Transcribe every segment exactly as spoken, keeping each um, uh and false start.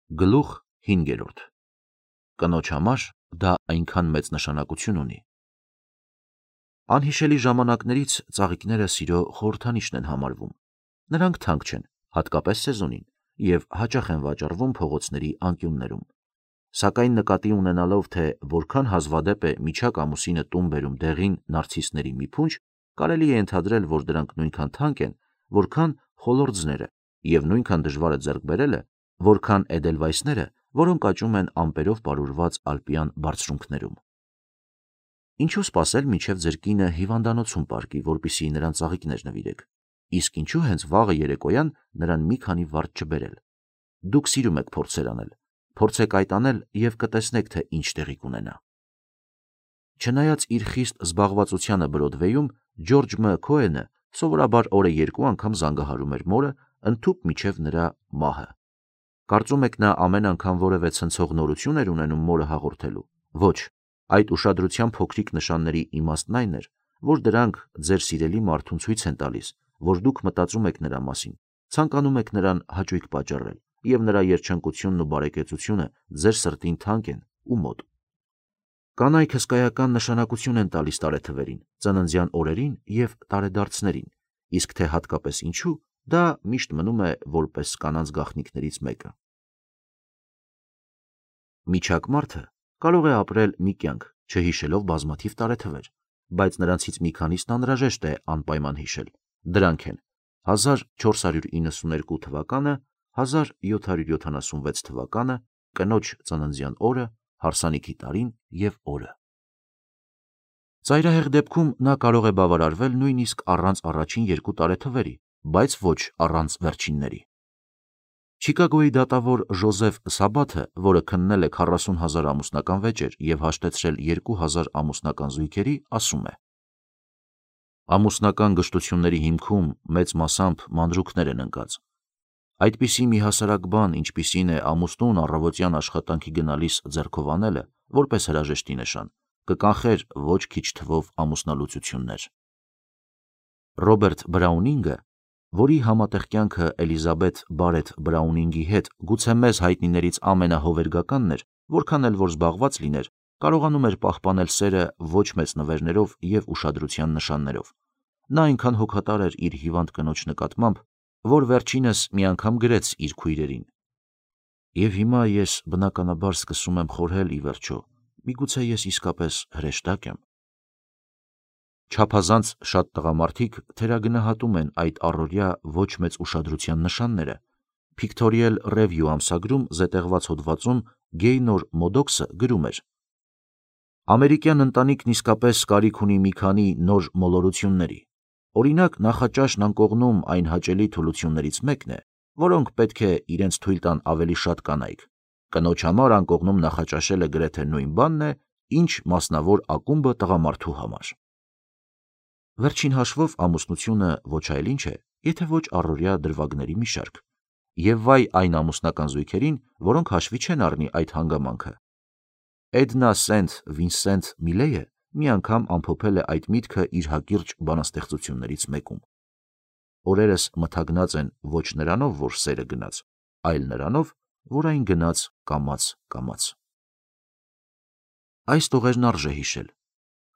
Գլուխ հինգերորդ. Կնոջ համար դա այնքան մեծ նշանակություն ունի։ Անհիշելի ժամանակներից ծաղիկները սիրո խորհրդանիշն են համարվում։ Նրանք թանկ չեն, հատկապես սեզոնին, և հաճախ են վաճառվում փողոցների անկյուններում։ Սակայն նկատի ունենալով, թե որքան հազվադեպ է միջակ ամուսինը տուն բերում դեղին նարցիսների մի փունջ, կարելի է ենթադրել, որ դրանք նույնքան թանկ են, որքան խոլորձները, և նույնքան դժվար է ձեռք բերելը, որքան էդելվայսները, որոնք աճում են ամպերով պարուրված ալպյան բարձունքներում։ Ինչու սպասել, մինչև ձեր կինը հիվանդանոցում պառկի, որպեսզի նրան ծաղիկներ նվիրեք, իսկ ինչու հենց վաղը երեկոյան նրան մի քանի վարդ չբերել։ Դուք սիրում եք փորձեր անել, փորձեք այդ անել և կտեսնեք, թե ինչ տեղի կունենա։ Չնայած իր խիստ զբաղվածությանը Բրոդվեյում, Ջորջ Մ. Քոենը սովորաբար օրը երկու անգամ զանգահարում էր մորը, ընդհուպ մինչև նրա մահը։ Կարծում եք նա ամեն անգամ որևէ ցնցող նորություն էր ունենում մորը հաղորդելու։ Ոչ, այդ ուշադրության փոքրիկ նշանների իմաստն այն էր, որ դրանք ձեր սիրելի մարդուն ցույց են տալիս, որ դուք մտածում եք նրա մասին, ցանկանում եք նրան հաճույք պատճառել, և նրա երջանկությունն ու բարեկեցությունը ձեր սրտին թանկ են ու մոտ։ Կանայք հսկայական նշանակություն են տալիս տարեթվերին, ծննդյան օրերին և տարեդարձներին, իսկ թե հատկապես ինչու, դա միշտ մնում է որպես կանանց գաղտնիքներից մեկը։ Միջակ մարդը կարող է ապրել մի կյանք, չհիշելով բազմաթիվ տարեթվեր, բայց նրանցից մի քանիսն անհրաժեշտ է անպայման հիշել։ Դրանք են հազար չորս հարյուր իննսուներկու թվականը, հազար յոթ հարյուր յոթանասունվեց թվականը, կնոջ ծննդյան օրը, հարսանիքի տարին և օրը։ Ծայրահեղ դեպքում նա կարող է բավարարվել նույնիսկ առանց առաջին երկու տարեթվերի, բայց ոչ առանց վերջինների։ Չիկագոյի դատավոր Ժոզեֆ Սաբաթը, որը քննել է քառասուն հազար ամուսնական վեճեր և հաշտեցրել երկու հազար ամուսնական զույգերի, ասում է. ամուսնական գժտությունների հիմքում մեծ մասամբ մանրուքներ են ընկած։ Այդպիսի մի հասարակ բան, ինչպիսին է ամուսնուն առավոտյան աշխատանքի գնալիս ձեռքով անելը, որպես հրաժեշտի նշան, կկանխեր ոչ քիչ թվով ամուսնալուծություններ։ Ռոբերտ Բրաունինգը, որի համատեղ կյանքը Էլիզաբեթ Բարեթ Բրաունինգի հետ գուցե մեզ հայտնիներից ամենահովերգականն էր, որքան էլ որ զբաղված լիներ, կարողանում էր պահպանել սերը ոչ մեծ նվերներով և ուշադրության նշաններով։ Նա այնքան հոգատար էր իր հիվանդ կնոջ նկատմամբ, որ վերջինս մի անգամ գրեց իր քույրերին. «Եվ հիմա ես բնականաբար սկսում եմ խորհել ի վերջո, միգուցե ես իսկապես հրեշտակ եմ»։ Չափազանց շատ տղամարդիկ թերագնահատում են այդ առօրյա ոչ մեծ ուշադրության նշանները։ Pictorial Review ամսագրում զետեղված հոդվածում Գեյնոր Մոդոքսը գրում էր. ամերիկյան ընտանիքն իսկապես կարիք ունի մի քանի նոր մոլորությունների։ Օրինակ, նախաճաշն անկողնում այն հաճելի թուլություններից մեկն է, որոնք պետք է իրենց թույլ տան ավելի շատ կանայք։ Կնոջ համար անկողնում նախաճաշելը գրեթե նույն բանն է, ինչ մասնավոր ակումբը տղամարդու համար։ Վերջին հաշվով ամուսնությունը ոչ այլ ինչ է, եթե ոչ առօրյա դրվագների մի շարք։ Եվ վայ այն ամուսնական զույգերին, որոնք հաշվի չեն առնի այդ հանգամանքը։ Էդնա Սենթ Վինսենթ Միլեյը մի անգամ ամփոփել է այդ միտքը իր հակիրճ բանաստեղծություններից մեկում. օրերս մթագնած են ոչ նրանով, որ սերը գնաց, այլ նրանով, որ այն գնաց կամաց-կամաց։ Այս տողերն արժե հիշել։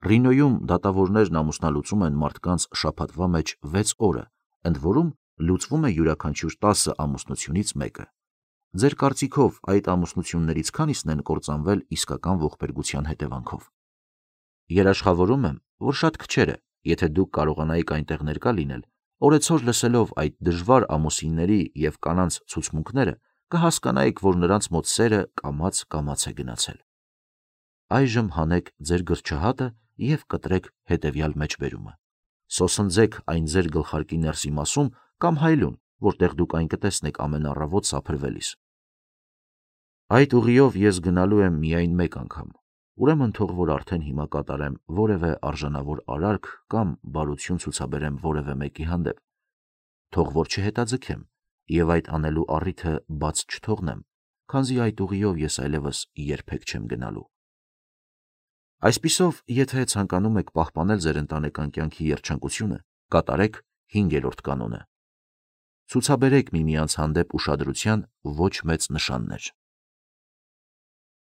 Ռինոյում դատավորներն ամուսնալուծում են մարդկանց շաբաթվա մեջ վեց օրը, ընդ որում լուծվում է յուրաքանչյուր տասը ամուսնությունից մեկը։ Ձեր կարծիքով այդ ամուսնություններից քանիսն են կործանվել իսկական ողբերգության հետևանքով։ Երաշխավորում եմ, որ շատ քչերը, եթե դուք կարողանայիք այնտեղ ներկա լինել, օրեցօր լսելով այդ դժվար ամուսինների և կանանց ցուցմունքները, կհասկանայիք, որ նրանց մոտ սերը կամաց-կամաց է գնացել։ Այժմ հանեք ձեր գրչահատը և կտրեք հետևյալ մեջբերումը. սոսնձեք այն ձեր գլխարկի ներսի մասում կամ հայլուն, որտեղ դուք այն կտեսնեք ամեն առավոտ սափրվելիս։ Այդ ուղիով ես գնալու եմ միայն մեկ անգամ, ուրեմն թող որ արդեն հիմա կատարեմ որևէ արժանավոր արարք կամ բարություն ցուցաբերեմ որևէ մեկի հանդեպ։ Թող որ չհետաձգեմ և այդ անելու առիթը բաց չթողնեմ, քանզի այդ ուղիով ես այլևս երբեք չեմ գնալու։ Այսպիսով, եթե ցանկանում եք պահպանել ձեր ընտանեկան կյանքի երջանկությունը, կատարեք հինգերորդ կանոնը. ցուցաբերեք միմյանց հանդեպ ուշադրության ոչ մեծ նշաններ։